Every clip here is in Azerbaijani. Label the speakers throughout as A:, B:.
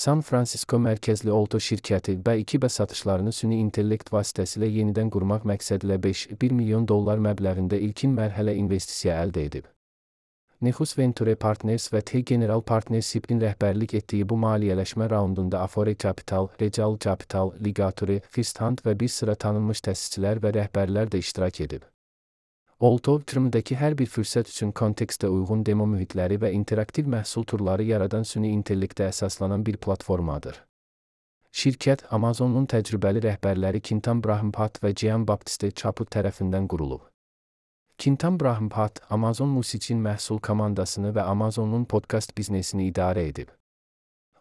A: San Francisco mərkəzli Olto şirkəti B2B satışlarını süni intellekt vasitəsilə yenidən qurmaq məqsədilə $1 milyon məbləğində ilkin mərhələ investisiya əldə edib. Nexus Venture Partners və T General Partnership'in rəhbərlik etdiyi bu maliyyələşmə raundunda Afore Capital, Regal Capital, Ligature, First Hand və bir sıra tanınmış təsisçilər və rəhbərlər də iştirak edib. Olto, yatırımdakı hər bir fürsət üçün kontekstə uyğun demo mühitləri və interaktiv məhsul turları yaradan süni intellektə əsaslanan bir platformadır. Şirkət, Amazon'un təcrübəli rəhbərləri Kintan Brahmpat və Gianbattista Chaput tərəfindən qurulub. Kintan Brahmpat, Amazon Music'in məhsul komandasını və Amazon'un podkast biznesini idarə edib.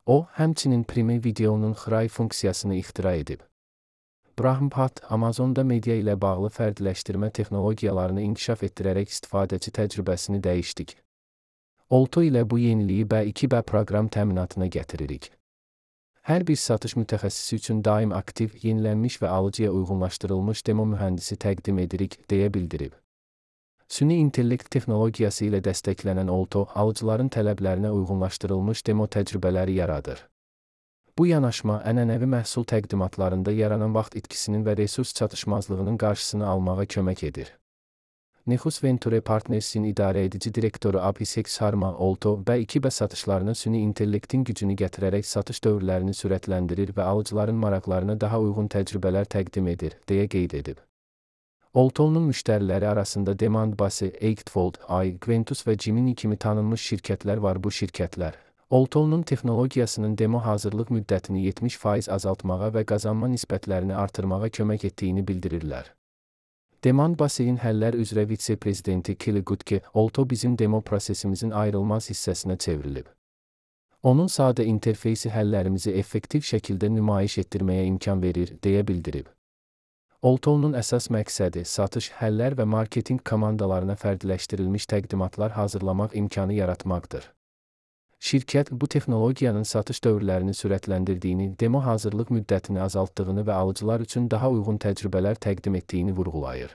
A: O, həmçinin Prime Video'nun xray funksiyasını ixtira edib. Brahmpat, Amazon'da media ilə bağlı fərdləşdirmə texnologiyalarını inkişaf etdirərək istifadəçi təcrübəsini dəyişdik. Olto ilə bu yeniliyi B2B proqram təminatına gətiririk. Hər bir satış mütəxəssisi üçün daim aktiv, yenilənmiş və alıcıya uyğunlaşdırılmış demo mühəndisi təqdim edirik, deyə bildirib. Süni intellekt texnologiyası ilə dəstəklənən Olto, alıcıların tələblərinə uyğunlaşdırılmış demo təcrübələri yaradır. Bu yanaşma ənənəvi məhsul təqdimatlarında yaranan vaxt itkisinin və resurs çatışmazlığının qarşısını almağa kömək edir. Nexus Venture Partners'in idarəedici direktoru Abhishek Sharma Olto, B2B satışlarına süni intellektin gücünü gətirərək satış dövrlərini sürətləndirir və alıcıların maraqlarına daha uyğun təcrübələr təqdim edir, deyə qeyd edib. Olto'nun müştəriləri arasında Demandbase, Eightfold, Quintus və Gemini kimi tanınmış şirkətlər var. Bu şirkətlər, Olto'nun texnologiyasının demo hazırlıq müddətini 70% azaltmağa və qazanma nisbətlərini artırmağa kömək etdiyini bildirirlər. Demandbase'in həllər üzrə vitse-prezidenti Kelly Gutke, Olto bizim demo prosesimizin ayrılmaz hissəsinə çevrilib. Onun sadə interfeysi həllərimizi effektiv şəkildə nümayiş etdirməyə imkan verir, deyə bildirib. Olto'nun əsas məqsədi satış, həllər və marketinq komandalarına fərdləşdirilmiş təqdimatlar hazırlamaq imkanı yaratmaqdır. Şirkət, bu texnologiyanın satış dövrlərini sürətləndirdiyini, demo hazırlıq müddətini azaltdığını və alıcılar üçün daha uyğun təcrübələr təqdim etdiyini vurğulayır.